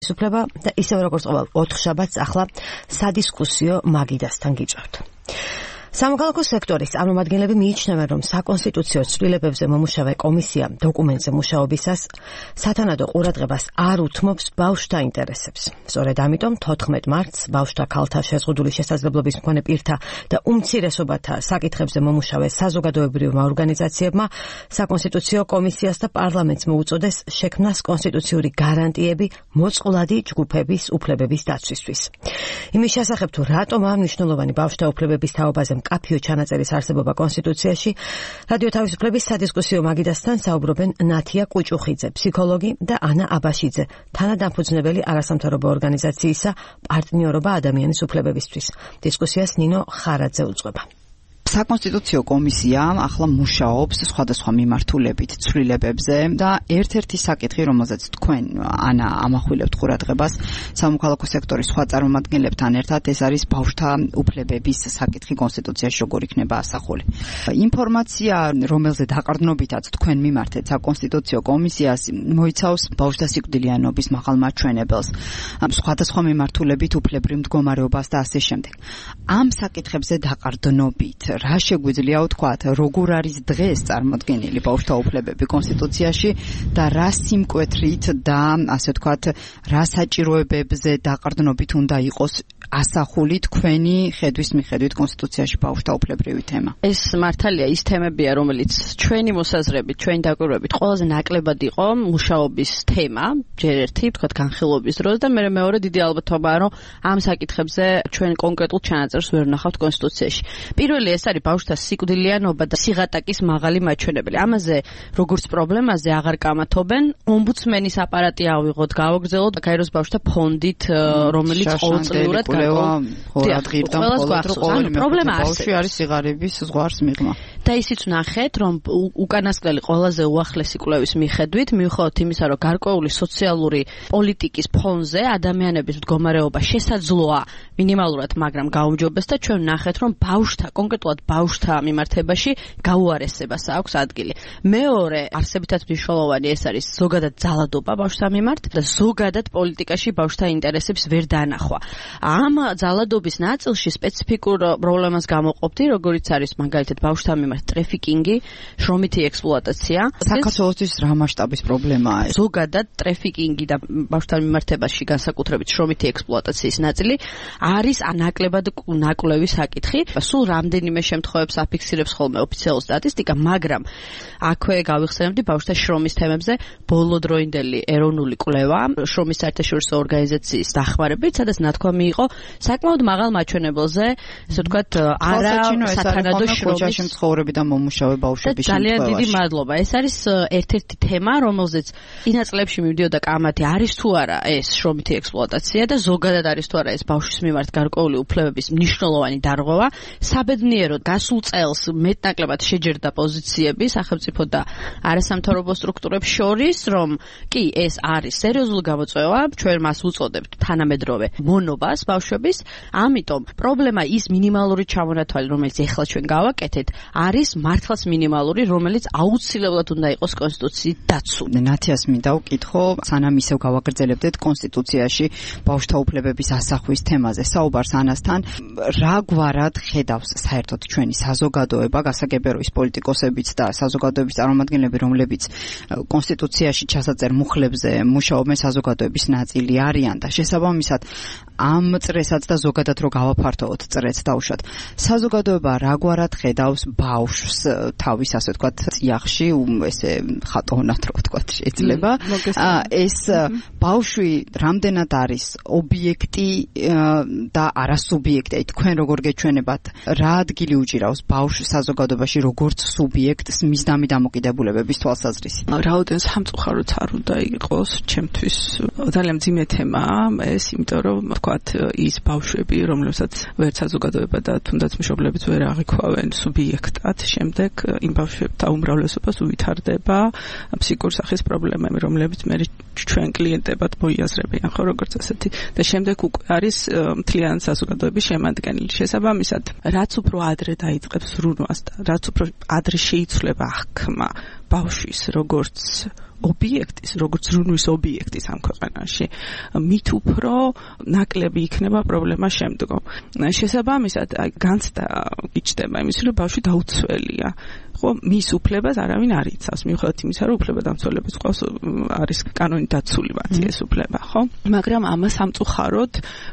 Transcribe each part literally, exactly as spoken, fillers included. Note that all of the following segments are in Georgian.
ხელისუფლება და ისევ როგორც ყოველ ოთხშაბათს ახლა სადისკუსიო მაგიდასთან გიჭავთ. სამოქალაქო სექტორის წარმომადგენლები მიიჩნევენ, რომ საკონსტიტუციო ცვლილებებზე მომუშავე კომისია დოკუმენტზე მუშაობისას სათანადო ყურადღებას არ უთმობს ბავშვთა ინტერესებს. სწორედ ამიტომ თოთხმეტ მარტს ბავშვთა ქალთა შეზღუდული შესაძლებლობის მქონე პირთა და უმცირესობათა საკითხებზე მომუშავე საზოგადოებრივმა ორგანიზაციებმა საკონსტიტუციო კომისიას და პარლამენტს მოუწოდეს შექმნას კონსტიტუციური გარანტიები მოწყვლადი ჯგუფების უფლებების დაცვისთვის. იმის შესახებ თუ რატომ ამ მნიშვნელოვანი ბავშვთა უფლებების თაობაზე მკაფიო ჩანაწერის არსებობა კონსტიტუციაში, რადიო თავისუფლების სადისკუსიო მაგიდასთან საუბრობენ ნათია კუჭუხიძე, ფსიქოლოგი და ანა აბაშიძე, თანადამფუძნებელი არასამთავრობო ორგანიზაციისა პარტნიორობა ადამიანის უფლებებისთვის. დისკუსიას ნინო ხარაძე უძღვება. საკონსტიტუციო კომისია ახლა მუშაობს სხვადასხვა მიმართულებით ცვლილებებზე და ერთ-ერთი საკითხი, რომელზეც თქვენ ანა ამახვილებთ ყურადღებას სამოქალაქო სექტორის სხვა წარმომადგენლებთან ერთად, ეს არის ბავშვთა უფლებების საკითხი კონსტიტუციაში როგორ იქნება ასახული. ინფორმაცია, რომელზე დაყრდნობითაც თქვენ მიმართეთ საკონსტიტუციო კომისიას, მოიცავს ბავშვთა სიკვდილიანობის მაღალმაჩვენებელს, სხვადასხვა მიმართულებით უფლებრივ მდგომარეობას და ასე შემდეგ. ამ საკითხებზე დაყრდნობით რა შეგვიძლია ვთქვათ, როგორ არის დღეს წარმოდგენილი ბავშვთა უფლებები კონსტიტუციაში და რა სიმკვეთრით და ასე ვთქვათ, რა საჭიროებებზე დაყრდნობით უნდა იყოს ასახული თქვენი ხედვის მიხედვით კონსტიტუციაში ბავშვთა უფლებრივი თემა. ეს მართალია ის თემებია, რომელიც ჩვენი მოსაზრებით, ჩვენი დაკვირვებით ყველაზე ნაკლებად იყო მუშაობის თემა, ჯერ ერთი, ვთქვათ, განხილვობის დროს და მე მეორე დიდი ალბათობაა, რომ ამ საკითხებზე ჩვენ კონკრეტულ ჩანაწერს ვერ ვნახავთ კონსტიტუციაში. პირველი ეს არის ბავშვთა სიკვდილიანობა და სიღატაკის მაღალი მაჩვენებელი. ამაზე როგორც პრობლემაზე აღარ კამათობენ. ომბუდსმენის აპარატი ავიღოთ, გავაგრძელოთ გაეროს ბავშვთა ფონდით, რომელიც ყოველწლიურად ყურადღებდა მხოლოდ ყოველი პრობლემა ბავშვი არის სიღარიბის ზღვარს მიღმა. და ისიც ვნახეთ, რომ უკანასკნელი ყველაზე უახლესი კვლევის მიხედვით, მიუხედავად იმისა, რომ გარკვეული სოციალური პოლიტიკის ფონზე ადამიანების მდგომარეობა შესაძლოა მინიმალურად, მაგრამ გაუმჯობეს და ჩვენ ვნახეთ, რომ ბავშვთა, კონკრეტულად ბავშვთა მიმართებაში გაუარესებას აქვს ადგილი. მეორე, არსებითად მნიშვნელოვანი ეს არის ზოგადად ძალადობა ბავშვთა მიმართ და ზოგადად პოლიტიკაში ბავშვთა ინტერესებს ვერ დაანახვა. ამ ძალადობის ნაწილში სპეციფიკურ პრობლემას გამოყოფდი, როგორიც არის მაგალითად ბავშვთა მიმართ ტრეფიკინგი, შრომითი ექსპლუატაცია. საქართველოსთვის რა მასშტაბის პრობლემაა ეს? ზოგადად ტრეფიკინგი და ბავშვთა მიმართებაში განსაკუთრებით შრომითი ექსპლუატაციის ნაწილი არის ნაკლებად ნაკვლევი საკითხი. სულ რამდენიმე შემთხვევებს აფიქსირებს ხოლმე ოფიციალური სტატისტიკა, მაგრამ აქვე გავიხსენებდი ბავშვთა შრომის თემებზე ბოლოდროინდელი ეროვნული კვლევა შრომის საერთაშორისო ორგანიზაციის დახმარებით, სადაც ნათქვამი იყო საკმაოდ მაღალ მაჩვენებელზე, ესე ვთქვათ, არა სათანადო შრომის მცხოვრები და მომუშავე ბავშვების შემთხვევაში. ძალიან დიდი მადლობა. ეს არის ერთ-ერთი თემა, რომელზეც წინა წლებში მივდიოდა კამათი, არის თუ არა ეს შრომითი ექსპლუატაცია და ზოგადად არის თუ არა ეს ბავშვის მიმართ გარკვეული უფლებების მნიშვნელოვანი დარღვევა. საბედნიეროდ გასულ წელს მეტნაკლებად შეჯერდა პოზიციები სახელმწიფო და არასამთავრობო სტრუქტურებს შორის, რომ კი ეს არის სერიოზული გამოწვევა, ჩვენ მას უწოდებთ თანამედროვე მონობას ბავშვების, ამიტომ პრობლემა ის მინიმალური ჩამონათვალი, რომელიც ეხლა ჩვენ გავაკეთეთ, არის მართლაც მინიმალური, რომელიც აუცილებლად უნდა იყოს კონსტიტუციით დაცული. ნათიას მინდა ვკითხო, სანამ ისევ გავაგრძელებდეთ კონსტიტუციაში ბავშვთა უფლებების ასახვის თემაზე საუბარს ანასთან, რა გვარად ხედავს საერთოდ ჩვენი საზოგადოება, გასაგებია ის პოლიტიკოსებიც და საზოგადოების წარმომადგენლები, რომლებიც კონსტიტუციაში ჩასაწერ მუხლებზე მუშაობენ, საზოგადოების ნაწილი არიან და შესაბამისად ამ წრესაც და ზოგადად რო გავაფართოვოთ წრეც დავუშვათ. საზოგადოება რაგვარად ხედავს ბავშვს თავის ასე ვთქვათ წიაღში, ესე ხატოვნად რო ვთქვათ შეიძლება. ეს ბავშვი რამდენად არის ობიექტი და არასუბიექტი, თქვენ როგორ გეჩვენებათ, რა ადგილი უჭირავს ბავშვს საზოგადოებაში როგორც სუბიექტს მის დამი დამოკიდებულებების თვალსაზრისით? რაოდენ სამწუხაროც არ უნდა იყოს ჩემთვის ძალიან მძიმე თემაა ეს, იმიტომ რომ ვთქვათ ის ბავშვები, რომლებსაც ვერ საზოგადოება და თუნდაც მშობლებიც ვერ აღიქვავენ სუბიექტად, შემდეგ იმ ბავშვებთა უმრავლესობას უვითარდება ფსიქიკური სახის პრობლემები, რომლებიც მე ჩვენ კლიენტებად მოიაზრებიან, ხო, როგორც ასეთი და შემდეგ უკვე არის მთლიანი საზოგადოების შემადგენელი. შესაბამისად, რაც უფრო ადრე დაიწყებს ზრუნვას და რაც უფრო ადრე შეიცვლება აღქმა ბავშვის როგორც ობიექტის, როგორც ზრუნვის ობიექტის ამ ქვეყანაში, მით უფრო ნაკლები იქნება პრობლემა შემდგომ. შესაბამისად, აი განცდა იჭდება იმის, რომ ბავშვი დაუცველია. ხო, მის უფლებას არავინ არ იცავს, მიუხედავად იმისა, რომ უფლებადამცველების ყავს არის კანონით დაცული მათი ეს უფლება, ხო? მაგრამ ამას სამწუხაროდ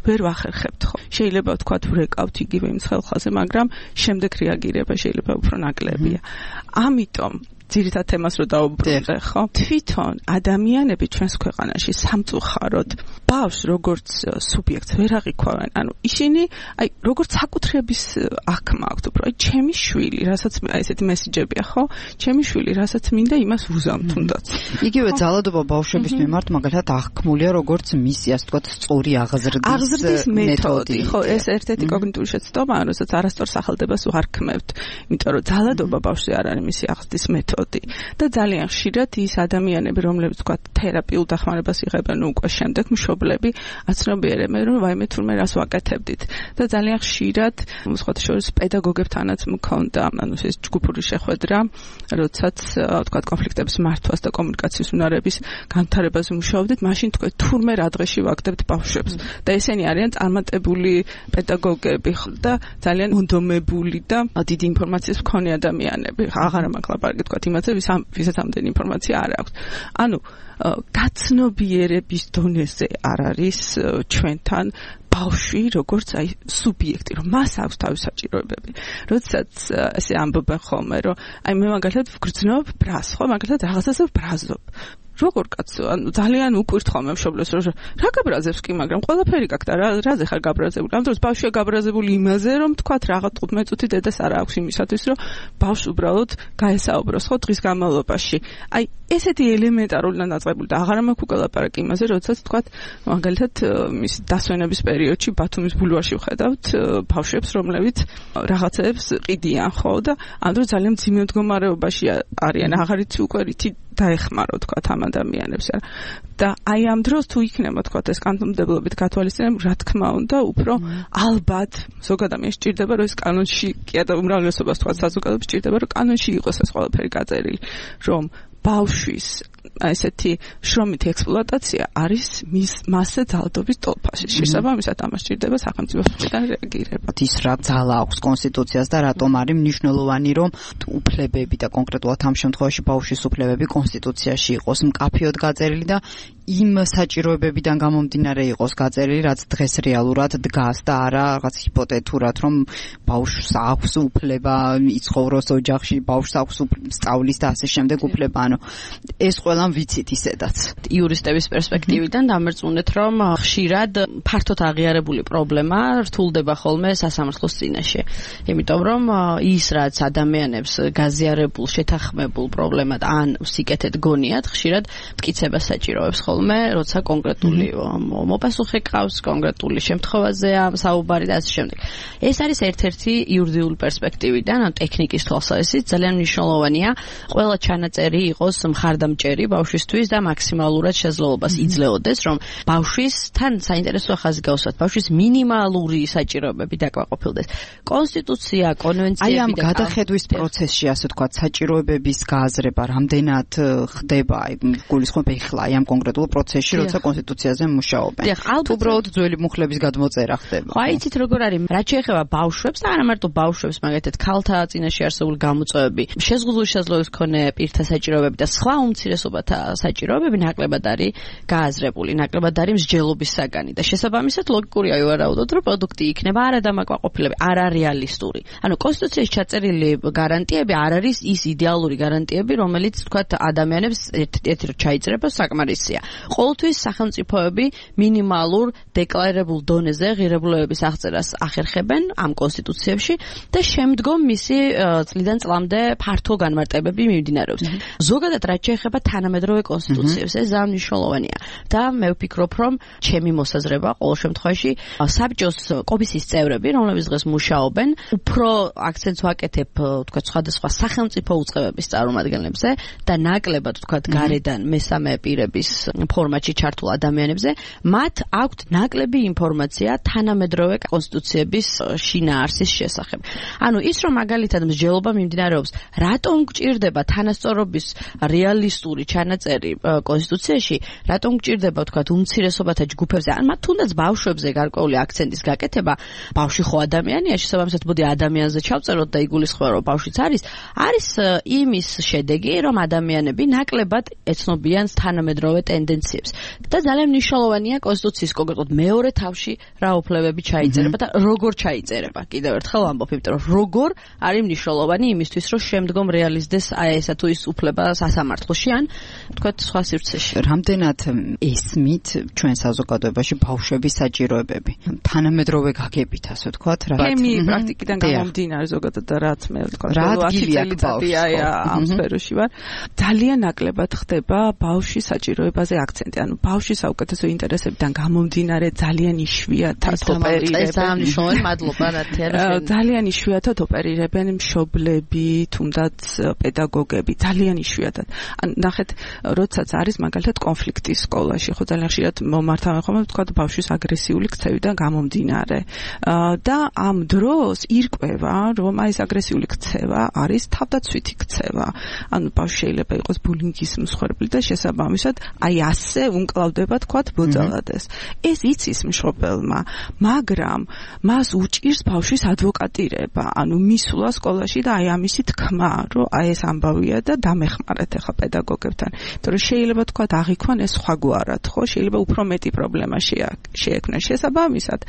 ვერ ვახერხებთ, ხო? შეიძლება ვთქვათ, ვრეკავთ იგივე იმ ხელხაზე, მაგრამ შემდეგ რეაგირება შეიძლება უფრო ნაკლებია. ამიტომ ძირითად თემას რო დავუბრუნდე, ხო? თვითონ ადამიანები ჩვენს ქვეყანაში სამწუხაროდ ბავშვს როგორც სუბიექტს ვერ აღიქვავენ. ანუ ისინი აი როგორც საკუთრების აღქმა აქვთ, უფრო აი ჩემი შვილი, რასაც აი ესეთი მესიჯებია, ხო? ჩემი შვილი, რასაც მინდა იმას ვუზამ თუნდაც. იგივე ძალადობა ბავშვების მიმართ მაგალითად აღქმულია როგორც მისი, ასე ვთქვათ, სწორი აღზრდის აღზრდის მეთოდი, ხო? ეს ერთ-ერთი კოგნიტიური შეცდომაა, რასაც არასწორ სახელდებას ვარქმევთ, იმიტომ რომ ძალადობა ბავშვზე არ არის მისი აღზრდის მეთოდი. და ძალიან ხშირად ის ადამიანები, რომლებიც თქვა თერაპიულ დახმარებას იღებენ უკვე შემდეგ მშობლები, აცნობიერებენ, რომ ვაიმე თურმე რას ვაკეთებდით. და ძალიან ხშირად სხვათა შორის პედაგოგებთანაც მქონდა, ანუ ეს ჯგუფური შეხვედრა, როდესაც თქვა კონფლიქტების მართვას და კომუნიკაციის უნარების განვითარებაზე მუშაობდით, მაშინ თქვა თურმე რა დღეში ვაკეთებთ ბავშვებს. და ესენი არიან წარმატებული პედაგოგები და ძალიან მონდომებული და დიდი ინფორმაციის მქონე ადამიანები. აღარა მაქვს ლაპარაკი თქვა იმაზე, ვისაც ამდენი ინფორმაცია არ აქვს. ანუ გაცნობიერების დონეზე არ არის ჩვენთან ბავშვი როგორც აი სუბიექტი, რომ მას აქვს თავის საჭიროებები. როდესაც ესე ამბობენ ხოლმე, რომ აი მე მაგალითად ვგრძნობ ბრას, ხო, მაგალითად რაღაცაზე ვბრაზობ. როგორ კაცო, ანუ ძალიან უკვირთ ხოლმე მშობლებს, რომ რა გაბრაზებს კი, მაგრამ ყველაფერი გაქვს და რა რაზე ხარ გაბრაზებული? ამ დროს ბავშვია გაბრაზებული იმაზე, რომ თქვათ რაღაც თხუთმეტ წუთი დედას არ აქვს იმისათვის, რომ ბავშვს უბრალოდ გაესაუბროს ხო დღის განმავლობაში. აი ესეთი ელემენტარული და დაწყებული და აღარა მაქვს უკვე ლაპარაკი იმაზე, როდესაც თქვათ მაგალითად მის დასვენების პერიოდში ბათუმის ბულვარში ვხედავთ ბავშვებს, რომლებიც რაღაცებს ყიდიან, ხო, და ამ დროს ძალიან მძიმე მდგომარეობაში არიან, აღარ იცი უკვე რითი დაეხმარო თქვათ ამ ადამიანებს. და აი ამ დროს თუ იქნება თქვათ ეს კანონმდებლობით გათვალისწინება, რა თქმა უნდა, უფრო ალბათ ზოგ ადამიანს სჭირდება, რომ ეს კანონში კი და უმრავლესობას თქვათ საზოგადოებას სჭირდება, რომ კანონში იყოს ეს ყველაფერი გაწერილი, რომ ბავშვის ესეთი შრომითი ექსპლუატაცია არის მის მასზე ძალადობის ტოლფაში. შესაბამისად ამას სჭირდება სახელმწიფოს მხრიდან რეაგირება. ის რა ძალა აქვს კონსტიტუციას და რატომ არის მნიშვნელოვანი, რომ უფლებები და კონკრეტულად ამ შემთხვევაში ბავშვის უფლებები კონსტიტუციაში იყოს მკაფიოდ გაწერილი და იმ საჭიროებებიდან გამომდინარე იყოს გაწერილი, რაც დღეს რეალურად დგას და არა რაღაც ჰიპოთეტურად, რომ ბავშვს აქვს უფლება იცხოვროს ოჯახში, ბავშვს აქვს სწავლის და ასე შემდეგ უფლება. ანუ ეს ყველა ვიცით ისედაც. იურისტების პერსპექტივიდან დამერწმუნეთ, რომ ხშირად ფართოდ აღიარებული პრობლემა რთულდება ხოლმე სასამართლოს წინაშე. იმიტომ რომ ის რაც ადამიანებს გაზიარებულ, შეთანხმებულ პრობლემად ან სიკეთეთ გონიათ, ხშირად მტკიცებას საჭიროებს ხოლმე, როცა კონკრეტული მოპასუხე ყავს, კონკრეტული შემთხვევაზეა საუბარი და ასე შემდეგ. ეს არის ერთ-ერთი იურიდიული პერსპექტივიდან, ან ტექნიკის თვალსაზრისით ძალიან მნიშვნელოვანია, ყველა ჩანაწერი იყოს მხარდამჭერი ბავშვისთვის და მაქსიმალურად შესაძლებლობას იძლეოდეს, რომ ბავშვისთან საინტერესო ხაზი გავსვათ, ბავშვის მინიმალური საჭიროებები დაკმაყოფილდეს. კონსტიტუცია, კონვენციები და აი ამ გადახედვის პროცესში, ასე ვთქვათ, საჭიროებების გააზრება რამდენად ხდება, აი გულისხმობ ეხლა აი ამ კონკრეტულ პროცესში, როცა კონსტიტუციაზე მუშაობენ. თუ უბრალოდ ძველი მუხლების გადმოწერა ხდება. ხო, იცით როგორ არის, რაც შეეხება ბავშვებს და არა მარტო ბავშვებს, მაგალითად ქალთა წინაშე არსებული გამოწვევები, შეზღუდული შესაძლებლობის მქონე პირთა საჭიროებები და სხვა უმცირესობათა საჭიროებები ნაკლებად არის გააზრებული, ნაკლებად არის მსჯელობის საგანი და შესაბამისად ლოგიკურია ვარაუდოთ, რომ პროდუქტი იქნება არადამაკმაყოფილებელი, არარეალისტური. ანუ კონსტიტუციაში ჩაწერილი გარანტიები არ არის ის იდეალური გარანტიები, რომელიც თქვათ ადამიანებს ერთ-ერთი ჩაიწერება საკმარისია. ყოველთვის სახელმწიფოები მინიმალურ დეკლარირებულ დონეზე ღირებულებების აღწერას ახერხებენ ამ კონსტიტუციებში და შემდგომ მისი წლიდან წლამდე ფართო განმარტებები მიმდინარეობს. ზოგადად რაც შეეხება თანამედროვე კონსტიტუციებს, ეს ძალიან მნიშვნელოვანია და მე ვფიქრობ, რომ ჩემი მოსაზრება ყოველ შემთხვევაში საბჭოს კომისიის წევრები, რომლებიც დღეს მუშაობენ, უფრო აქცენტს ვაკეთებ, თქვა სხვადასხვა სახელმწიფო უწყებების წარმომადგენლებზე და ნაკლებად თქვა გარედან მესამე პირების ფორმატში ჩართულ ადამიანებზე, მათ აქვთ ნაკლები ინფორმაცია თანამედროვე კონსტიტუციების შინაარსის შესახებ. ანუ ის რომ მაგალითად მსჯელობა მიმდინარეობს, რატომ გჭირდება თანასწორობის რეალისტური ჩანაწერი კონსტიტუციაში, რატომ გჭირდება თქვათ უმცირესობათა ჯგუფებზე, ან მათ თუნდაც ბავშვებზე გარკვეული აქცენტის გაკეთება, ბავშვი ხო ადამიანია, შესაბამისად მოდი ადამიანზე ჩავწეროთ და იგულისხმება რომ ბავშვიც არის, არის იმის შედეგი, რომ ადამიანები ნაკლებად ეცნობიან თანამედროვე ტენდენციებს. და ძალიან მნიშვნელოვანია კონსტიტუციის კონკრეტულად მეორე თავში რა უფლებები ჩაიწერება და როგორ ჩაიწერება. კიდევ ერთხელ ვამბობ, იმიტომ რომ როგორ არის მნიშვნელოვანი იმისთვის, რომ შემდგომ რეალიზდეს აი ესა თუ ის უფლება სასამართლოში ან თქვათ სხვა სივრცეში. რამდენად ესმით ჩვენ საზოგადოებაში ბავშვების საჭიროებები თანამედროვე გაგებით, ასე ვთქვათ, რა ქიმიის პრაქტიკიდან გამომდინარე ზოგადად და რაც მე ვთქვათ, ათი წელიწადია ამ სფეროში ვარ, ძალიან ნაკლებად ხდება ბავშვის საჭიროებაზე აქცენტი. ანუ ბავშვის საუკეთესო ინტერესებიდან გამომდინარე ძალიან იშვიათად ოპერირებენ. ძალიან მნიშვნელოვანი, მადლობა ნათია. ძალიან იშვიათად ოპერირებენ მშობლები, თუნდაც პედაგოგები, ძალიან იშვიათად. ან ნახეთ, როდესაც არის მაგალითად კონფლიქტი სკოლაში, ხო ძალიან ხშირად მომართავენ ხოლმე ვთქვათ ბავშვის აგრესიული ქცევიდან გამომდინარე. და ამ დროს ირკვევა, რომ აი ეს აგრესიული ქცევა არის თავდაცვითი ქცევა. ანუ ბავშვი შეიძლება იყოს ბულინგის მსხვერპლი და შესაბამისად აი ასე უნკლავდება თქვათ ბოძალადეს. ეს იცის მშობელმა, მაგრამ მას უჭირს ბავშვის ადვოკატირება, ანუ მისვლა სკოლაში და აი ამისი თქმა, რომ აი ეს ამბავია და დამეხმარეთ ახლა პედაგოგებთან. იმიტომ რომ შეიძლება თქვათ აღიქვან ეს სხვაგვარად, ხო? შეიძლება უფრო მეტი პრობლემა შეექმნას. შესაბამისად,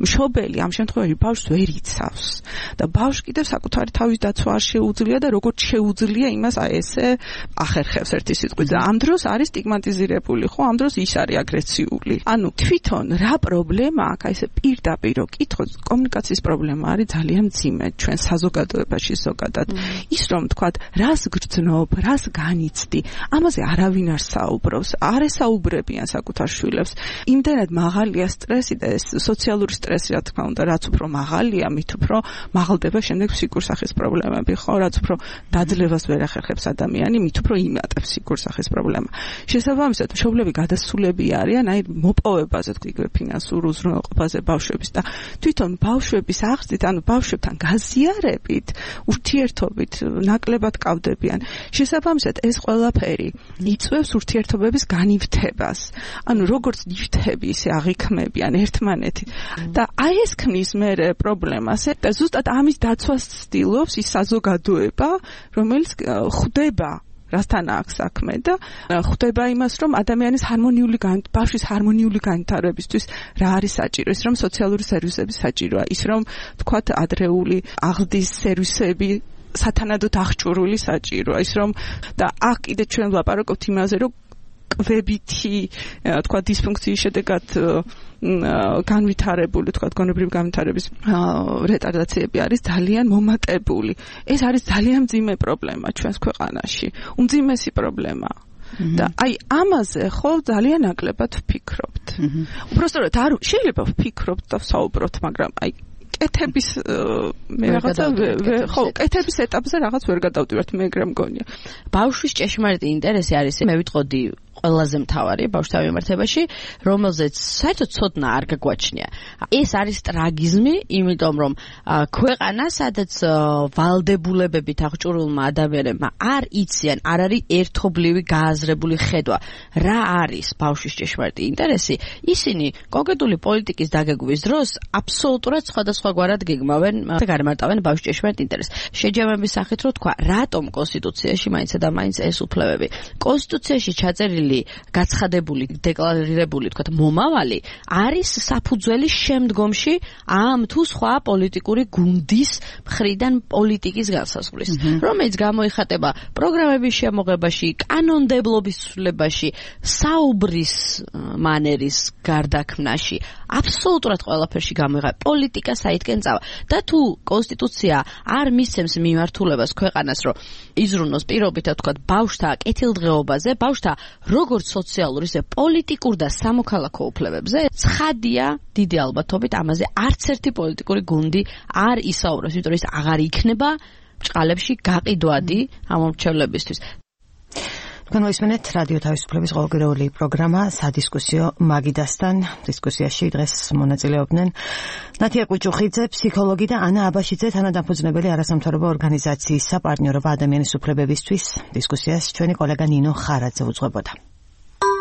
მშობელი ამ შემთხვევაში ბავშვს ვერ იცავს და ბავშვს კიდევ საკუთარი თავის დაცვა არ შეუძლია და როგორც შეუძლია იმას აი ესე ახერხებს ერთი სიტყვით და ამ დროს არის სტიგმატიზირებული, ხო? ამ დროს ის არის აგრესიული. ანუ თვითონ რა პრობლემა აქვს, აი ესე პირდაპირ კითხოთ, კომუნიკაციის პრობლემა არის ძალიან მძიმე ჩვენ საზოგადოებაში ზოგადად. ის რომ თქვათ, რას გრძნობ, რას განიცდი, ამაზე არავინ არ საუბრობს, არ ესაუბრებიან საკუთარ შვილებს. იმდენად მაღალია სტრესი და ეს სოციალური სტრესი, რა თქმა უნდა, რაც უფრო მაღალია, მით უფრო მაღალდება შემდეგ ფსიქურ სახის პრობლემები, ხო? რაც უფრო დაძლევას ვერ ახერხებს ადამიანი, მით უფრო იმატებს ფსიქურ სახის პრობლემა. შესაბამისად, მშობლები გადასულები არიან აი მოპოვებაზე, თქვი ფინანსურ უზრუნველყოფაზე ბავშვების და თვითონ ბავშვების აღზრდით, ანუ ბავშვებთან გაზიარებით, ურთიერთობით ნაკლებად კავდებიან. შესაბამისად, ეს ყველაფერი იწვევს ურთიერთობების განივთებას. ანუ როგორც ნივთები ისე აღიქმებიან ერთმანეთით და აი ეს ქმნის მერე პრობლემას და ზუსტად ამის დაცვას ცდილობს ის საზოგადოება, რომელიც ხვდება რასთან აქვს საქმე და ხვდება იმას, რომ ადამიანის ჰარმონიული ბავშვის ჰარმონიული განვითარებისთვის რა არის საჭირო, ის რომ სოციალური სერვისები საჭიროა, ის რომ თქვათ ადრეული აღზრდის სერვისები სათანადოდ აღჭურვილი საჭიროა, ის რომ და აქ კიდე ჩვენ ვლაპარაკობთ იმაზე, რომ კვებითი თქვა დისფუნქციის შედეგად განვითარებული, თქვა გონებრივი განვითარების რეტარდაციები არის ძალიან მომატებული. ეს არის ძალიან მძიმე პრობლემა ჩვენს ქვეყანაში. უმძიმესი პრობლემა. და აი ამაზე ხო ძალიან ნაკლებად ვფიქრობთ. უბრალოდ არ შეიძლება ვფიქრობთ და ვსაუბროთ, მაგრამ აი კეთების მე რაღაცა ხო კეთების ეტაპზე რაღაც ვერ გადავდივართ, მე ეგრე მგონია. ბავშვის ჭეშმარიტი ინტერესი არის, მე ვიტყოდი ყველაზე მთავარი ბავშვთა მიმართებაში, რომელზეც საერთოდ ცოდნა არ გაგვაჩნია. ეს არის ტრაგიზმი, იმიტომ რომ ქვეყანა, სადაც ვალდებულებებით აღჭურვილმა ადამიანებმა არ იციან, არ არის ერთობლივი გააზრებული ხედვა, რა არის ბავშვის ჭეშმარიტი ინტერესი, ისინი კონკრეტული პოლიტიკის დაგეგმვის დროს აბსოლუტურად სხვადასხვაგვარად გეგმავენ და გარემარტავენ ბავშვის ჭეშმარიტ ინტერესს. შეჯამების სახით რო თქვა, რატომ კონსტიტუციაში მაინც და მაინც ეს უფლებები. კონსტიტუციაში ჩაწერილი გაცხადებული, დეკლარირებული, თქვათ, მომავალი არის საფუძველი შემდგომში ამ თუ სხვა პოლიტიკური გუნდის მხრიდან პოლიტიკის განსაზღვრის, რომელიც გამოიხატება პროგრამების შემოღებაში, კანონმდებლობის ცვლილებაში, საუბრის მანერის გარდაქმნაში, აბსოლუტურად ყველაფერში გამოიხატება პოლიტიკა საითკენ წავა. და თუ კონსტიტუცია არ მისცემს მიმართულებას ქვეყანას, რომ იზრუნოს პირობითად, თქვათ, ბავშვთა კეთილდღეობაზე, ბავშვთა როგორც სოციალური, ისე პოლიტიკურ და სამოქალაქო უფლებებზე, ცხადია დიდი ალბათობით ამაზე არც ერთი პოლიტიკური გუნდი არ ისაუბრებს, იმიტომ რომ ის აღარ იქნება ბრჭყალებში გაყიდვადი ამ მრჩევლებისთვის. თქვენ მოისმენთ რადიო თავისუფლების ყოველკვირეული პროგრამა სადისკუსიო მაგიდასთან. დისკუსიაში დღეს მონაწილეობდნენ ნათია კუჭუხიძე, ფსიქოლოგი და ანა აბაშიძე, თანადამფუძნებელი არასამთავრობო ორგანიზაციის საპარტნიორობა ადამიანის უფლებებისთვის. დისკუსიას ჩვენი კოლეგა ნინო ხარაძე უძღვებოდა.